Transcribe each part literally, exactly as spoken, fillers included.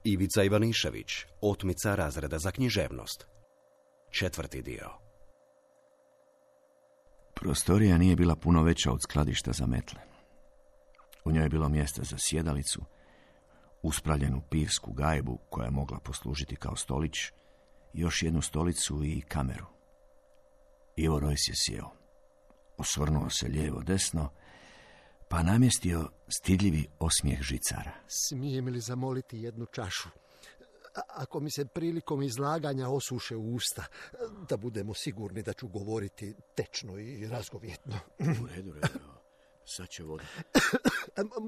Ivica Ivanišević, otmica razreda za književnost. Četvrti dio. Prostorija nije bila puno veća od skladišta za metle. U njoj je bilo mjesta za sjedalicu, uspravljenu pivsku gajbu koja je mogla poslužiti kao stolić, još jednu stolicu i kameru. Ivo Rojs je sjeo. Osvrnuo se lijevo desno, pa namjestio stidljivi osmijeh žicara. Smijem li zamoliti jednu čašu? A- ako mi se prilikom izlaganja osuše usta, da budemo sigurni da ću govoriti tečno i razgovjetno. U redu, redu. Sad će voda.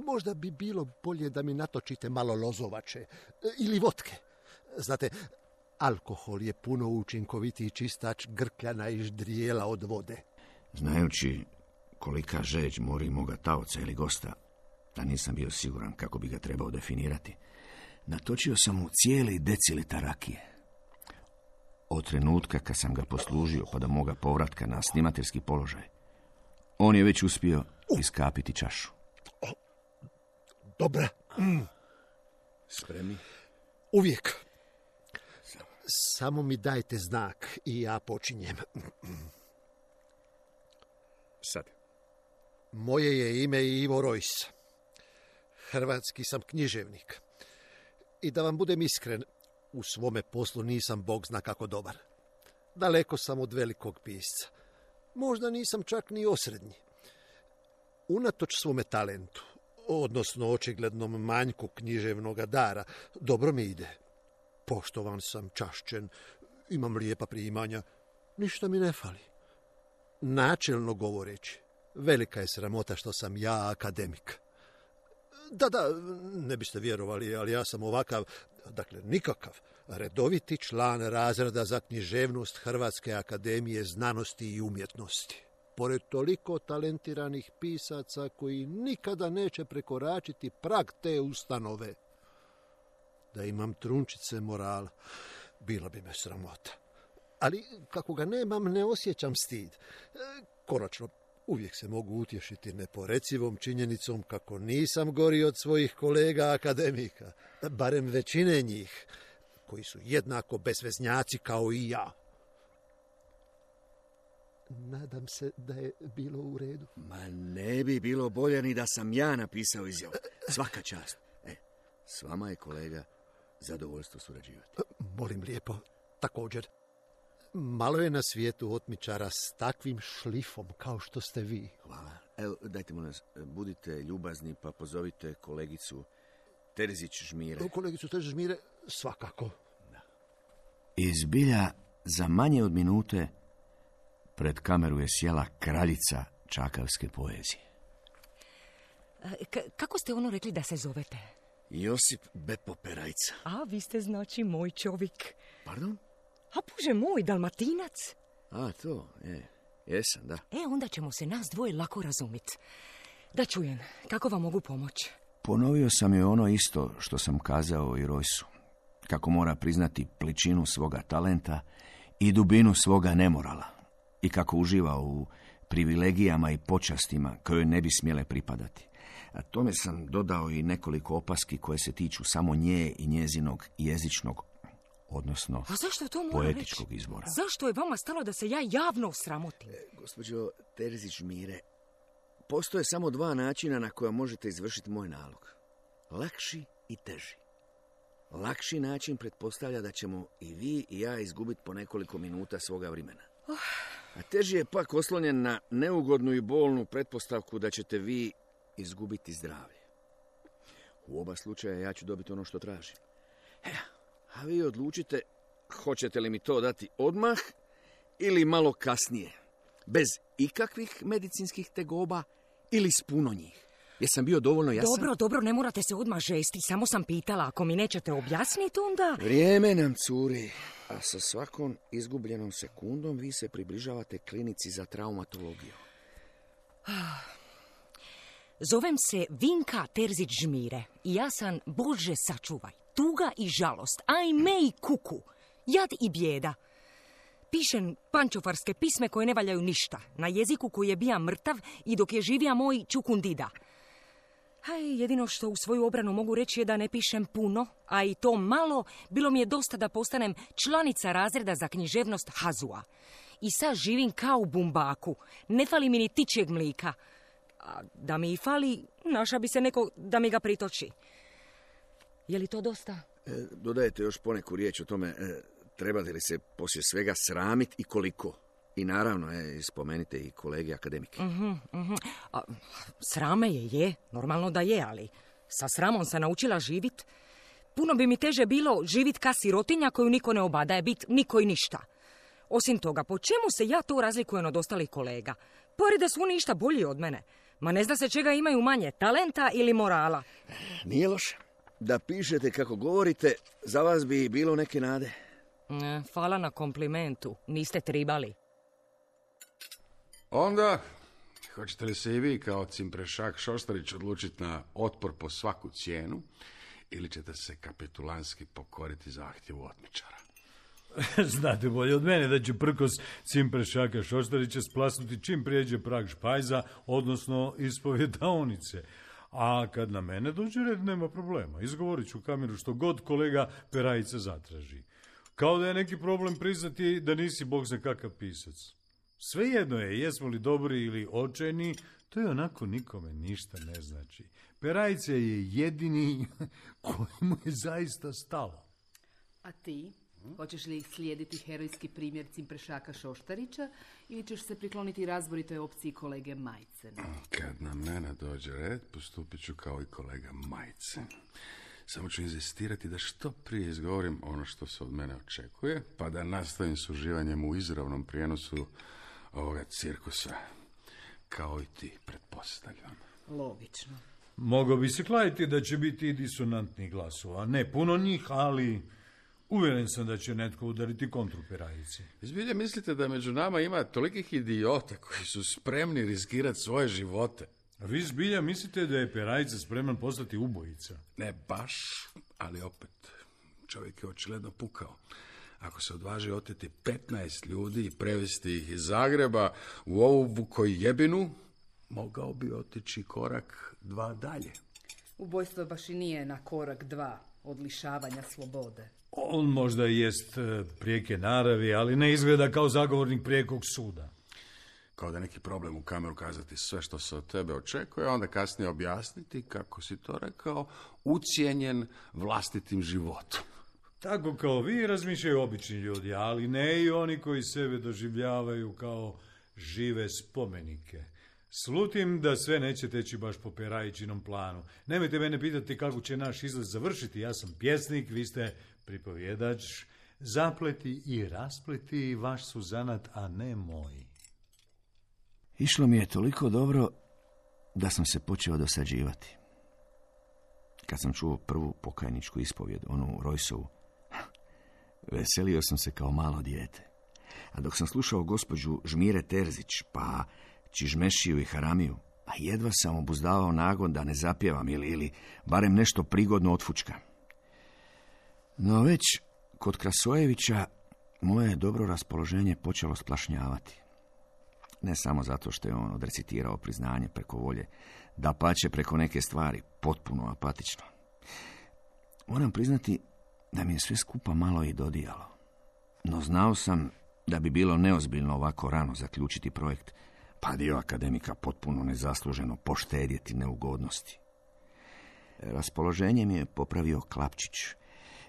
Možda bi bilo bolje da mi natočite malo lozovače ili votke. Znate, alkohol je puno učinkovitiji čistač grkljana i ždrijela od vode. Znajući kolika žeđ mori moga taoca ili gosta, da nisam bio siguran kako bi ga trebao definirati, natočio sam mu cijeli decilitar rakije. Od trenutka kad sam ga poslužio pa do moga povratka na snimateljski položaj, on je već uspio iskapiti čašu. Dobra. Mm. Spremni? Uvijek. Samo mi dajte znak i ja počinjem. Sad. Moje je ime Ivo Rojs. Hrvatski sam književnik. I da vam budem iskren, u svome poslu nisam bog zna kako dobar. Daleko sam od velikog pisca. Možda nisam čak ni osrednji. Unatoč svome talentu, odnosno očiglednom manjku književnoga dara, dobro mi ide. Poštovan sam, čašćen, imam lijepa primanja, ništa mi ne fali. Načelno govoreći, velika je sramota što sam ja akademik. Da, da, ne biste vjerovali, ali ja sam ovakav, dakle nikakav, redoviti član razreda za književnost Hrvatske akademije znanosti i umjetnosti. Pored toliko talentiranih pisaca koji nikada neće prekoračiti prag te ustanove. Da imam trunčice morala, bila bi me sramota. Ali kako ga nemam, ne osjećam stid. Konačno, uvijek se mogu utješiti neporecivom činjenicom kako nisam gori od svojih kolega akademika, barem većine njih, koji su jednako bezveznjaci kao i ja. Nadam se da je bilo u redu. Ma ne bi bilo bolje ni da sam ja napisao izjavu. Svaka čast. E, s vama je, kolega, zadovoljstvo surađivati. Molim lijepo, također. Malo je na svijetu otmičara s takvim šlifom kao što ste vi. Hvala. Evo, dajte mu nas, budite ljubazni pa pozovite kolegicu Terzić Žmire. Kolegicu Terzić Žmire, svakako. Da. I zbilja, za manje od minute pred kameru je sjela kraljica čakavske poezije. K- kako ste ono rekli da se zovete? Josip Bepo Perajca. A, vi ste znači moj čovjek. Pardon? A bože moj, Dalmatinac. A, to, je. Jesam, da. E, onda ćemo se nas dvoje lako razumjeti. Da čujem, kako vam mogu pomoći? Ponovio sam joj ono isto što sam kazao i Rojsu. Kako mora priznati pličinu svoga talenta i dubinu svoga nemorala. I kako uživa u privilegijama i počastima koje ne bi smjele pripadati. A tome sam dodao i nekoliko opaski koje se tiču samo nje i njezinog jezičnog, odnosno A zašto to mora poetičkog reći? izbora. Zašto je vama stalo da se ja javno sramotim? E, gospođo Terzić Žmire, postoje samo dva načina na koja možete izvršiti moj nalog. Lakši i teži. Lakši način pretpostavlja da ćemo i vi i ja izgubiti po nekoliko minuta svoga vremena. Oh. A teži je pak oslonjen na neugodnu i bolnu pretpostavku da ćete vi izgubiti zdravlje. U oba slučaja ja ću dobiti ono što tražim. E, a vi odlučite hoćete li mi to dati odmah ili malo kasnije. Bez ikakvih medicinskih tegoba ili s puno njih. Jesam bio dovoljno jasan? Dobro, dobro, ne morate se odmah žesti. Samo sam pitala, ako mi nećete objasniti, onda... Vrijeme nam curi, a sa svakom izgubljenom sekundom vi se približavate klinici za traumatologiju. Zovem se Vinka Terzić Žmire i ja sam, Bože sačuvaj, tuga i žalost, ajme i kuku, jad i bijeda. Pišem pančofarske pisme koje ne valjaju ništa, na jeziku koji je bija mrtav i dok je živija moj čukundida. Haj, jedino što u svoju obranu mogu reći je da ne pišem puno, a i to malo, bilo mi je dosta da postanem članica razreda za književnost Hazua. I sad živim kao u bumbaku, ne fali mi ni tičijeg mlika. A da mi i fali, naša bi se neko da mi ga pritoči. Je li to dosta? E, dodajete još poneku riječ o tome, e, trebate li se poslije svega sramiti i koliko? I naravno, e, spomenite i kolege akademike. Uh-huh, uh-huh. A, srame je, je, normalno da je, ali sa sramom se naučila živit. Puno bi mi teže bilo živit ka sirotinja koju niko ne obadaje, bit niko i ništa. Osim toga, po čemu se ja to razlikujem od ostalih kolega? Pori da su oni ništa bolji od mene. Ma ne zna se čega imaju manje, talenta ili morala. Nije loše. Da pišete kako govorite, za vas bi bilo neke nade. Ne, hvala na komplimentu, niste tribali. Onda, hoćete li se i vi kao Cimprešak Šoštarić odlučiti na otpor po svaku cijenu ili ćete se kapitulanski pokoriti zahtjevu otmičara? Znate bolje od mene da će prkos Cimprešaka Šoštarića splasnuti čim prijeđe prag špajza, odnosno ispovjedaonice. A kad na mene dođe red, nema problema. Izgovorit ću u kameru što god kolega Perajica zatraži. Kao da je neki problem priznati da nisi bog za kakav pisac. Svejedno je, jesmo li dobri ili očajni, to je onako nikome ništa ne znači. Perajica je jedini kojemu je zaista stalo. A ti? Hoćeš li slijediti herojski primjer Cimprešaka Šoštarića ili ćeš se prikloniti razboritoj opciji kolege Majcena? Kad na mene dođe red, postupit ću kao i kolega Majcen. Samo ću inzistirati da što prije izgovorim ono što se od mene očekuje, pa da nastavim s uživanjem u izravnom prijenosu ovoga cirkusa, kao i ti, pretpostavljam. Logično. Mogao bi se kladiti da će biti i disonantnih glasova. Ne puno njih, ali uvjeren sam da će netko udariti kontru Perajici. Zbilja mislite da među nama ima tolikih idiota koji su spremni riskirati svoje živote? A vi zbilja mislite da je Perajica spreman postati ubojica? Ne baš, ali opet, čovjek je očigledno pukao. Ako se odvaži oteti petnaest ljudi i prevesti ih iz Zagreba u ovu Vukojebinu, mogao bi otići korak dva dalje. Ubojstvo baš i nije na korak dva od lišavanja slobode. On možda jest prijeke naravi, ali ne izgleda kao zagovornik prijekog suda. Kao da neki problem u kameru kazati sve što se od tebe očekuje, a onda kasnije objasniti, kako si to rekao, ucijenjen vlastitim životom. Tako kao vi razmišljaju obični ljudi, ali ne i oni koji sebe doživljavaju kao žive spomenike. Slutim da sve neće teći baš po Perajičinom planu. Nemojte mene pitati kako će naš izlet završiti. Ja sam pjesnik, vi ste pripovjedač. Zapleti i raspleti vaš su zanat, a ne moj. Išlo mi je toliko dobro da sam se počeo dosađivati. Kad sam čuo prvu pokajničku ispovjed, onu Rojsovu, veselio sam se kao malo dijete. A dok sam slušao gospođu Žmire Terzić, pa Čižmešiju i Haramiju, a jedva sam obuzdavao nagon da ne zapjevam ili, ili barem nešto prigodno otfučkam. No već kod Krasojevića moje dobro raspoloženje počelo splašnjavati. Ne samo zato što je on odrecitirao priznanje preko volje, dapače preko neke stvari, potpuno apatično. Moram priznati da mi je sve skupa malo i dodijalo. No znao sam da bi bilo neozbiljno ovako rano zaključiti projekt, pa dio akademika potpuno nezasluženo poštedjeti neugodnosti. Raspoloženje mi je popravio Klapčić,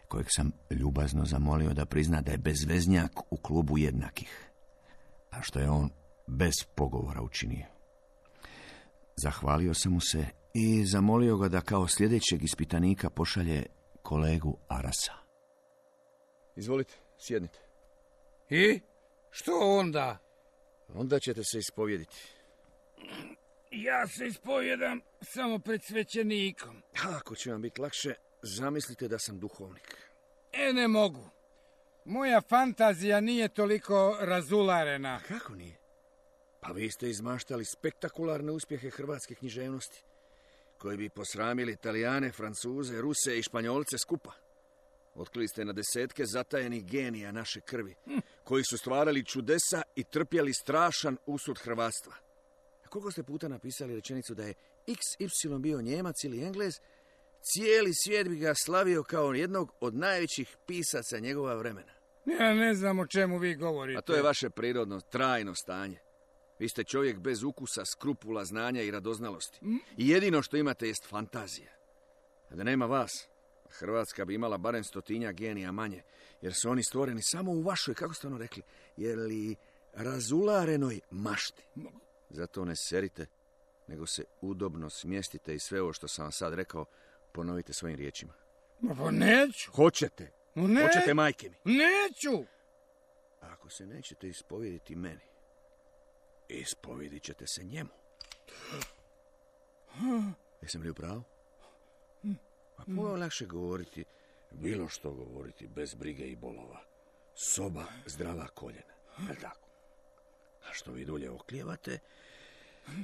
kojeg sam ljubazno zamolio da prizna da je bezveznjak u klubu jednakih, a što je on bez pogovora učinio. Zahvalio sam mu se i zamolio ga da kao sljedećeg ispitanika pošalje kolegu Arasa. Izvolite, sjednite. I? Što onda? Onda ćete se ispovjediti. Ja se ispovjedam samo pred svećenikom. Ako će vam biti lakše, zamislite da sam duhovnik. E, ne mogu. Moja fantazija nije toliko razularena. Kako nije? Pa vi ste izmaštali spektakularne uspjehe hrvatske književnosti, koji bi posramili Italijane, Francuze, Ruse i Španjolce skupa. Otkrili ste na desetke zatajenih genija naše krvi, hm. koji su stvarali čudesa i trpjeli strašan usud hrvatstva. A koliko ste puta napisali rečenicu da je iks ipsilon bio Njemac ili Englez, cijeli svijet bi ga slavio kao jednog od najvećih pisaca njegova vremena. Ja ne znam o čemu vi govorite. A to je vaše prirodno, trajno stanje. Vi ste čovjek bez ukusa, skrupula, znanja i radoznalosti. I jedino što imate jest fantazija. A da nema vas, Hrvatska bi imala barem stotinja genija manje, jer su oni stvoreni samo u vašoj, kako ste ono rekli, jer li razularenoj mašti. Zato ne serite, nego se udobno smjestite i sve ovo što sam vam sad rekao, ponovite svojim riječima. Pa neću. Hoćete. Ne. Hoćete, majke mi. Neću. A ako se nećete ispovjediti meni, ispovjedit ćete se njemu. Jesam li u pravu? A puno je lakše govoriti, bilo što govoriti, bez brige i bolova. Soba, zdrava koljena. Je tako? A što vi dulje oklijevate,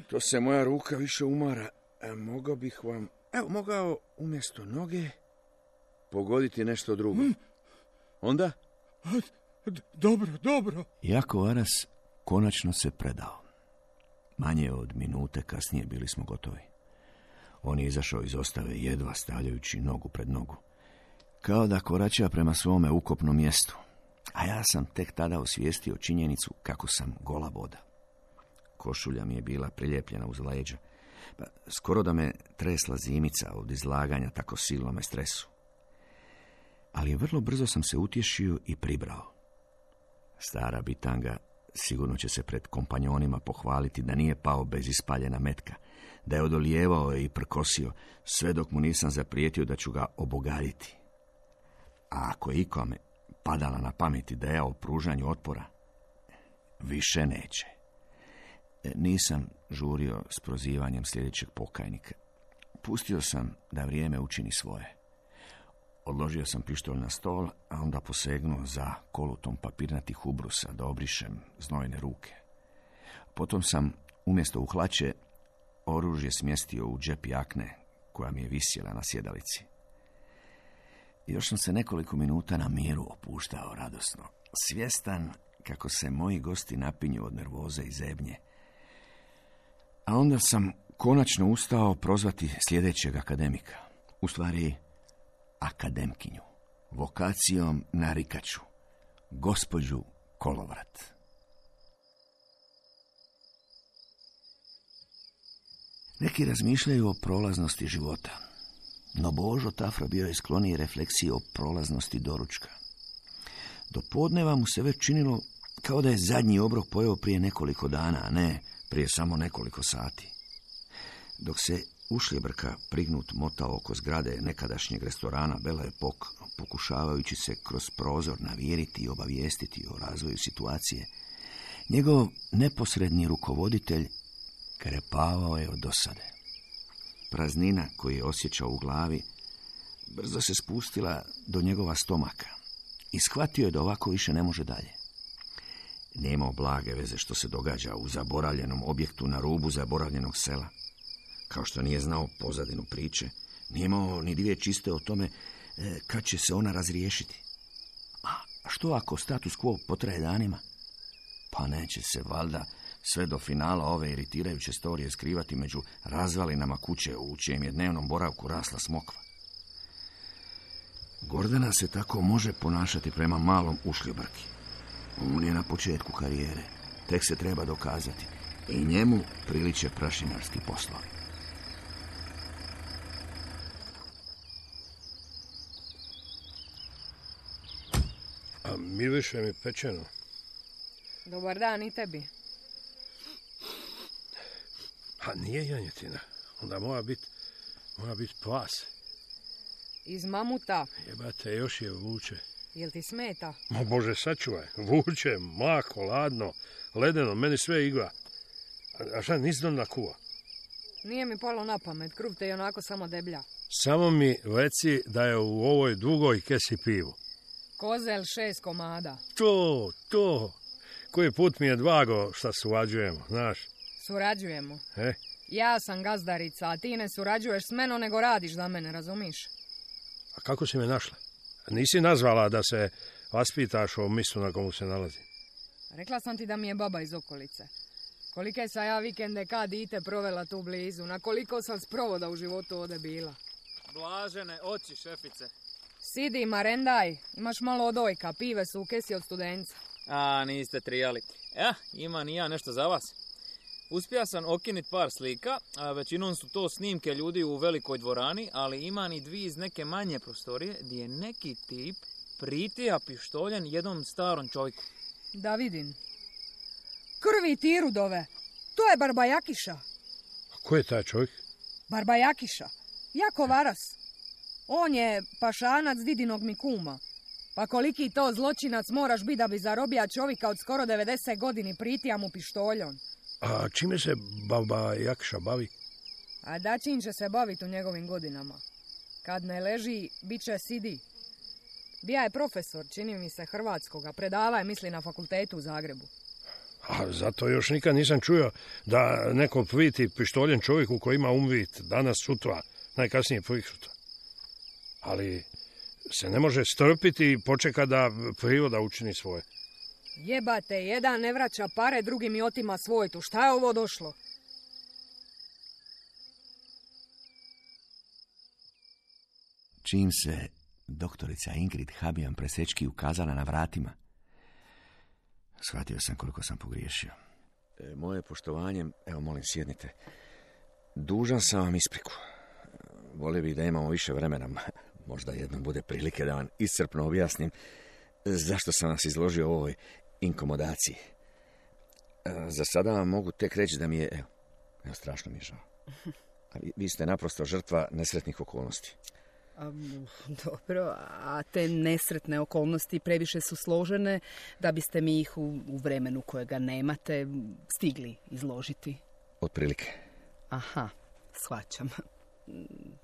to se moja ruka više umara. A mogao bih vam, evo, mogao umjesto noge pogoditi nešto drugo. Onda? Dobro, dobro. Jako Aras konačno se predao. Manje od minute kasnije bili smo gotovi. On je izašao iz ostave jedva stavljajući nogu pred nogu. Kao da korača prema svome ukopnom mjestu. A ja sam tek tada osvijestio činjenicu kako sam gola voda. Košulja mi je bila prilijepljena uz leđa. Pa skoro da me tresla zimica od izlaganja tako silnome stresu. Ali vrlo brzo sam se utješio i pribrao. Stara bitanga sigurno će se pred kompanjonima pohvaliti da nije pao bez ispaljena metka, da je odolijevao i prkosio, sve dok mu nisam zaprijetio da ću ga obogaditi. A ako je ikome padala na pamet ideja o pružanju otpora, više neće. Nisam žurio s prozivanjem sljedećeg pokajnika. Pustio sam da vrijeme učini svoje. Odložio sam pištolj na stol, a onda posegnuo za kolutom papirnatih ubrusa da obrišem znojne ruke. Potom sam, umjesto u hlače, oružje smjestio u džep jakne koja mi je visjela na sjedalici. Još sam se nekoliko minuta na miru opuštao radosno, svjestan kako se moji gosti napinju od nervoze i zebnje. A onda sam konačno ustao prozvati sljedećeg akademika. U stvari, akademkinju, vokacijom narikaču, gospođu Kolovrat. Neki razmišljaju o prolaznosti života, no Božo Tafra bio je skloniji refleksiji o prolaznosti doručka. Do podneva mu se već činilo kao da je zadnji obrok pojeo prije nekoliko dana, a ne prije samo nekoliko sati. Dok se ušljebrka prignut motao oko zgrade nekadašnjeg restorana Belle Époque, pokušavajući se kroz prozor naviriti i obavijestiti o razvoju situacije, njegov neposredni rukovoditelj krepavao je od dosade. Praznina koju je osjećao u glavi brzo se spustila do njegova stomaka i shvatio je da ovako više ne može dalje. Nije imao blage veze što se događa u zaboravljenom objektu na rubu zaboravljenog sela. Kao što nije znao pozadinu priče, nije imao ni dvije čiste o tome e, kad će se ona razriješiti. A što ako status quo potraje danima? Pa neće se valjda sve do finala ove iritirajuće storije skrivati među razvalinama kuće u čijem je dnevnom boravku rasla smokva. Gordana se tako može ponašati prema malom ušljobrki. On je na početku karijere, tek se treba dokazati i njemu priliče prašinarski poslovi. A miriše mi pečeno. Dobar dan i tebi. A nije janjetina. Onda mora biti mora bit pas. Iz mamuta. Jebate, još je vuče. Jel ti smeta? Ma Bože, sačuvaj. Vuče, mako, ladno, ledeno, meni sve igla. A, a šta, nisi dom na kuva? Nije mi palo na pamet, kruh te i onako samo deblja. Samo mi reci da je u ovoj dugoj kesi pivu. Kozel šest komada. To, to. Koji put mi je dvago šta surađujemo, znaš? Surađujemo. E? Ja sam gazdarica, a ti ne surađuješ s menom, nego radiš za mene, razumiš? A kako si me našla? Nisi nazvala da se vaspitaš o mjestu na komu se nalazi? Rekla sam ti da mi je baba iz okolice. Kolike sam ja vikende kad dite provela tu blizu, na koliko sam sprovoda u životu ovdje bila. Blažene oči, šefice. Sidi, marendaj, imaš malo odojka, pive su u kesi od studenca. A, niste trijali. Ja, imam i ja nešto za vas. Uspio sam okinit par slika, a većinom su to snimke ljudi u velikoj dvorani, ali imam i dvije iz neke manje prostorije gdje je neki tip pritija pištoljen jednom starom čovjeku. Da vidim. Krvi ti rudove, to je Barbajakiša. A ko je taj čovjek? Barbajakiša, jako varas. On je pašanac didinog mi kuma. Pa koliki to zločinac moraš biti da bi zarobija čovjeka od skoro devedeset godini pritija mu pištoljom. A čime se Baba Jakša bavi? A dačin će se baviti u njegovim godinama. Kad ne leži, bit će sidi. Bija je profesor, čini mi se, hrvatskoga. Predava je, misli, na fakultetu u Zagrebu. A zato još nikad nisam čuo da neko priti pištoljen čovjeku koji ima umvit danas, sutra, najkasnije priksutra. Ali se ne može strpiti i počeka da priroda učini svoje. Jebate, jedan ne vraća pare, drugi mi otima svojtu. Šta je ovo došlo? Čim se doktorica Ingrid Habijan Presečki ukazala na vratima, shvatio sam koliko sam pogriješio. E, moje poštovanje, evo molim sjednite. Dužan sam vam ispriku. Volio bih da imamo više vremena. Možda jednom bude prilike da vam iscrpno objasnim zašto sam vas izložio ovoj inkomodaciji. Za sada vam mogu tek reći da mi je, evo, evo strašno mi je žao. A vi, vi ste naprosto žrtva nesretnih okolnosti. Um, dobro, a te nesretne okolnosti previše su složene da biste mi ih u, u vremenu kojega nemate stigli izložiti. Otprilike. Aha, shvaćam.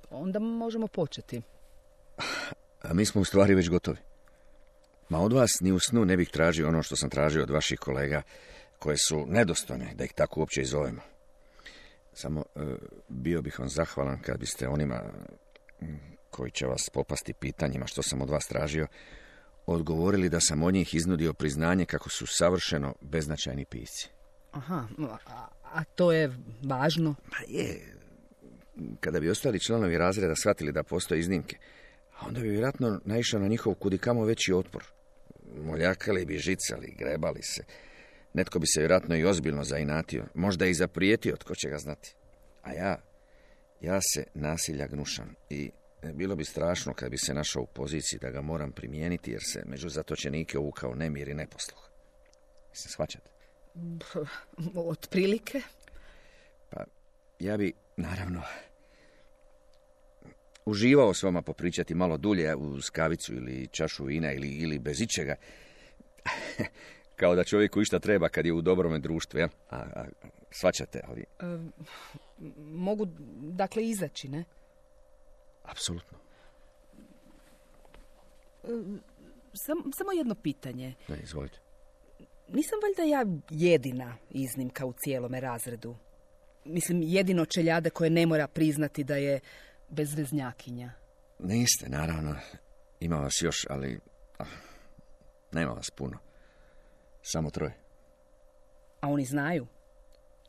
Onda možemo početi. A mi smo u stvari već gotovi. Ma od vas ni u snu ne bih tražio ono što sam tražio od vaših kolega, koje su nedostojne da ih tako uopće i zovemo. Samo e, bio bih vam zahvalan kad biste onima koji će vas popasti pitanjima što sam od vas tražio, odgovorili da sam od njih iznudio priznanje kako su savršeno beznačajni pisci. Aha, a, a to je važno? Pa je. Kada bi ostali članovi razreda shvatili da postoje iznimke, a onda bi vjerojatno naišao na njihov kudikamo veći otpor. Moljakali bi, žicali, grebali se. Netko bi se vjerojatno i ozbiljno zainatio, možda i zaprijetio, tko će ga znati. A ja, ja se nasilja gnušam i bilo bi strašno kad bi se našao u poziciji da ga moram primijeniti, jer se među zatočenike uvukao nemir i neposluh. Mislim, shvaćate? Otprilike? Pa, ja bi, naravno, uživao s vama popričati malo dulje uz kavicu ili čašu vina ili, ili bez ičega. Kao da čovjeku išta treba kad je u dobrome društvu, ja? A, a, shvaćate, ali... E, mogu, dakle, izaći, ne? Apsolutno. E, sam, samo jedno pitanje. Ne, izvolite. Nisam valjda ja jedina iznimka u cijelome razredu? Mislim, jedino čeljade koje ne mora priznati da je bezveznjakinja. Niste, naravno. Ima vas još, ali ah, nema vas puno. Samo troje. A oni znaju?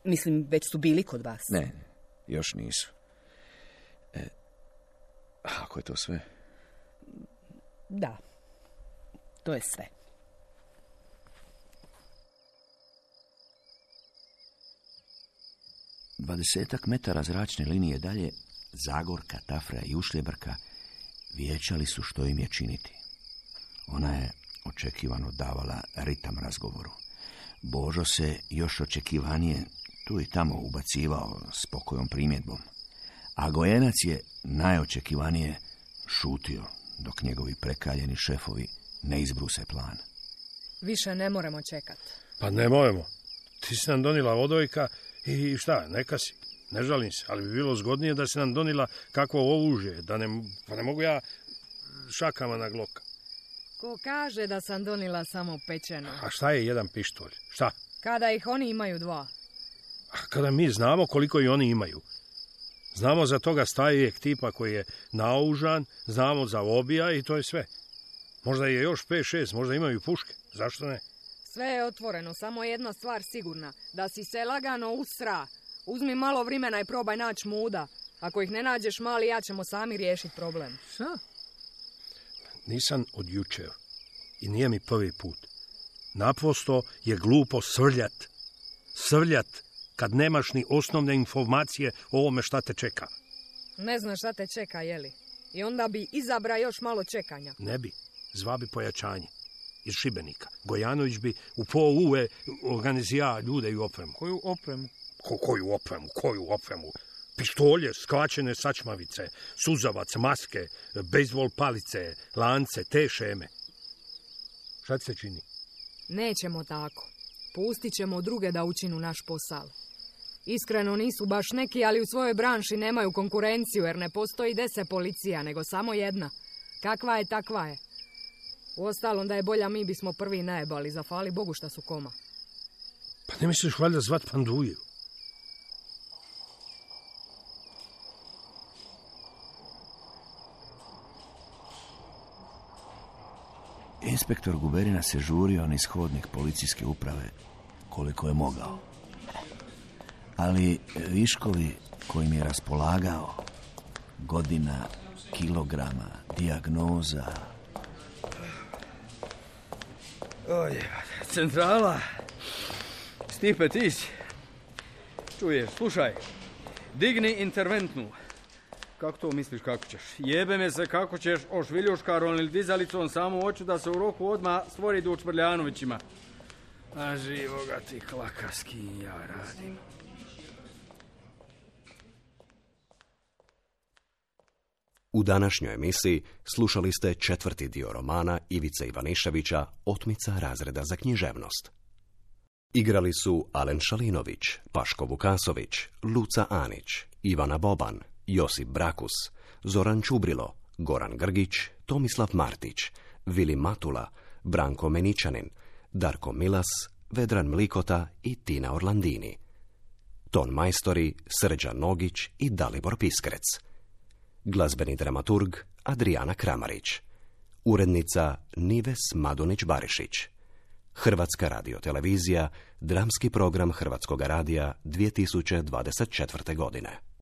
Mislim, već su bili kod vas. Ne, još nisu. E, ako je to sve? Da, to je sve. Dvadesetak metara zračne linije dalje, Zagorka, Tafra i Ušljebrka vijećali su što im je činiti. Ona je očekivano davala ritam razgovoru. Božo se još očekivanije tu i tamo ubacivao s pokojom primjedbom, a Gojenac je najočekivanije šutio dok njegovi prekaljeni šefovi ne izbruse plan. Više ne moramo čekati. Pa ne moramo. Ti si nam donila odojka i šta, neka si. Ne žalim se, ali bi bilo zgodnije da si nam donila kakvo oružje, da ne, pa ne mogu ja šakama na gloka. Ko kaže da sam donila samo pečeno? A šta je jedan pištolj? Šta? Kada ih oni imaju dva. A kada mi znamo koliko i oni imaju. Znamo za toga starijeg tipa koji je naoružan, znamo za obija i to je sve. Možda je još pet šest, možda imaju puške. Zašto ne? Sve je otvoreno, samo jedna stvar sigurna. Da si se lagano usra. Uzmi malo vremena i probaj naći muda. Ako ih ne nađeš, mali, ja ćemo sami riješiti problem. Šta? Nisam od jučer. I nije mi prvi put. Naprosto je glupo srljat. Srljat kad nemaš ni osnovne informacije o ovome šta te čeka. Ne znaš šta te čeka, jeli? I onda bi izabra još malo čekanja. Ne bi. Zva bi pojačanje. Iz Šibenika. Gojanović bi u po uve organizija ljude i opremu. Koju opremu? Ko, koju opremu? Koju opremu? Pištolje, skraćene sačmavice, suzavac, maske, bejzbol palice, lance, te šeme. Šta ti se čini? Nećemo tako. Pustit ćemo druge da učinu naš posao. Iskreno nisu baš neki, ali u svojoj branši nemaju konkurenciju, jer ne postoji deset policija, nego samo jedna. Kakva je, takva je. Uostalom da je bolja, mi bismo prvi najebali, zafali Bogu šta su koma. Pa ne misliš valjda zvat Panduju? Inspektor Guberina se žurio niz hodnik policijske uprave koliko je mogao. Ali viškovi kojim je raspolagao, godina, kilograma, dijagnoza... Oj, centrala. Stipe, ti si. Čuješ, slušaj. Digni interventnu. Kako to misliš kako ćeš? Jebe me se kako ćeš ošviljuškarom ili dizalicom samo hoću da se u roku odmah stvori duč Čvrljanovićima. A živoga ti klaka s kim ja radim. U današnjoj emisiji slušali ste četvrti dio romana Ivice Ivaniševića Otmica razreda za književnost. Igrali su Alen Šalinović, Paško Vukasović, Luca Anić, Ivana Boban, Josip Brakus, Zoran Čubrilo, Goran Grgić, Tomislav Martić, Vili Matula, Branko Meničanin, Darko Milas, Vedran Mlikota i Tina Orlandini. Ton majstori Srđan Nogić i Dalibor Piskrec. Glazbeni dramaturg Adrijana Kramarić. Urednica Nives Madunić-Barišić. Hrvatska radiotelevizija, dramski program Hrvatskog radija dvije tisuće dvadeset četvrte. godine.